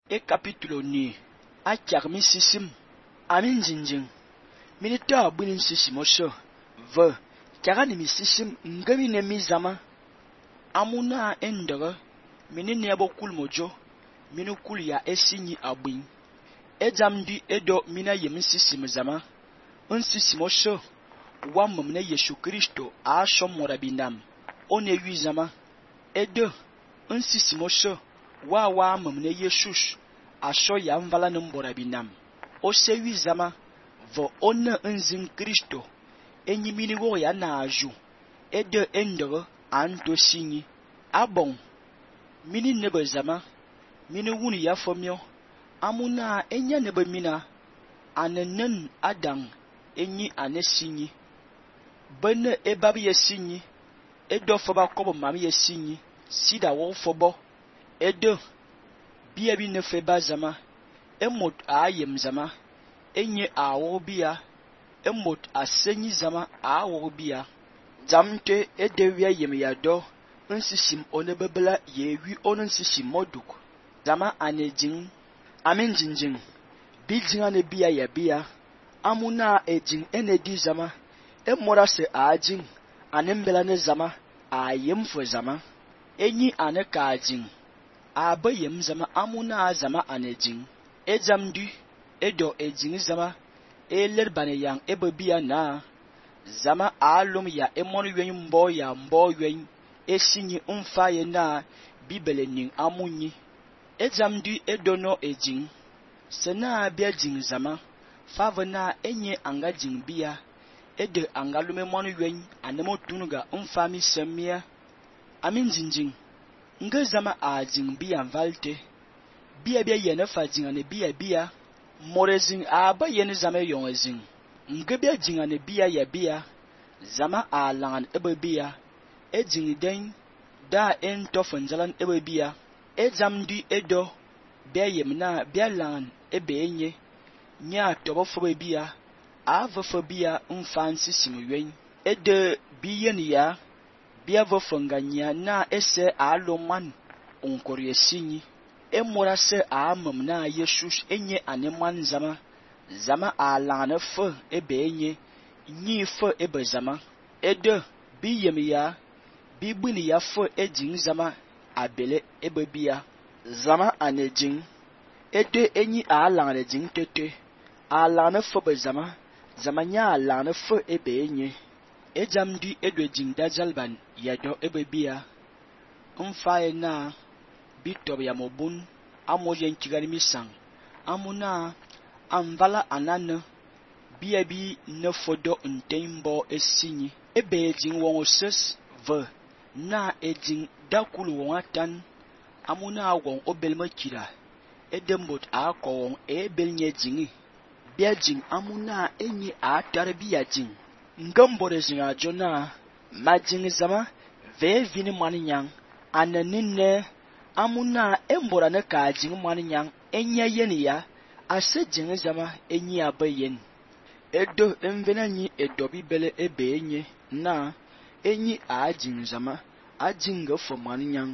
E capítulo ni a kyak mi sisim amin jinjing mini ta bunin sisim oso ve kyaga ni mi sisim ngami ne mi zama amuna endere mini nebo kul mojo mini kul ya esinyi abwin ejam di edo mina yem sisim zama sisim oso wa mumne Yesu Kristo a shom morabinam one wi zama edo sisim oso wa mumne Jesus asho ya mvala mborabinam ose wi zama vo ona nzin Kristo enyi mini wo ya na aju edo endere anto sinyi abon mini nebo zama mini wuni ya fomyo amuna enya nebo mina anenen adang enyi ane sinyi bene ebabi ye sinyi edo foba kobo mami ye sinyi sida wo fobo edo biya bi ne feba zama emot ayem zama enye awo biya emot asenyi zama awo biya jamte edewiya yem ya do nsisim one bebela yewi on nsisim moduk zama ane jing amin jinjing bi jinga ne biya ya biya amuna ejing ene di zama emora se ajing ane mbela ne zama ayem fo zama enyi ane ka jing aba yem zama amuna zama ane jing ejam di edo ejing zama eler bane yang ebe biya na zama alum ya emon yen mbo ya mbo yen esinyi mfaye na bibele ning amunyi ejam di edo no ejing sena bia jing zama fava na enye anga jing biya ede anga lume mon yen anemo tunuga mfami semia amin jinjing nga zama a jing biya valte biya biya yene fa jing ane biya morezing aba yene zama yon zing nga biya jing ane biya ya biya zama a langan ebe biya e jing den da en tofan jalan ebe biya e jam di edo biya yemna biya langan ebe enye nya tobo fobe biya ava fo biya mfansi simwen ede biyen ya biya vo fonganya na ese aloman onkori esinyi emora se amam na Jesus enye aneman zama alana fo ebe enye nyi fo ebe zama ede bi yem ya bi buni ya fo ejing zama abele ebe biya zama anejing ede enyi alana jing tete alana fo be zama nya alana fo ebe enye ejam di edo jing dajalban yado ebe biya mfaye na bitob ya mobun amoyen kigari misang amuna amvala anana biya bi ne fodo ntembo esinyi ebe jing won ses ve na ejing dakulu won atan amuna won obelma kira edembot akọ won ebel nye jingi biya jing amuna enyi atar biya jing ngambore jing ajona majing zama ve vini maninyang ananine amuna embora ne ka jing maninyang enya yeni ya ase jing zama enyi abayen edo envenanyi edo bibele ebe enye na enyi a jing zama ajing fo maninyang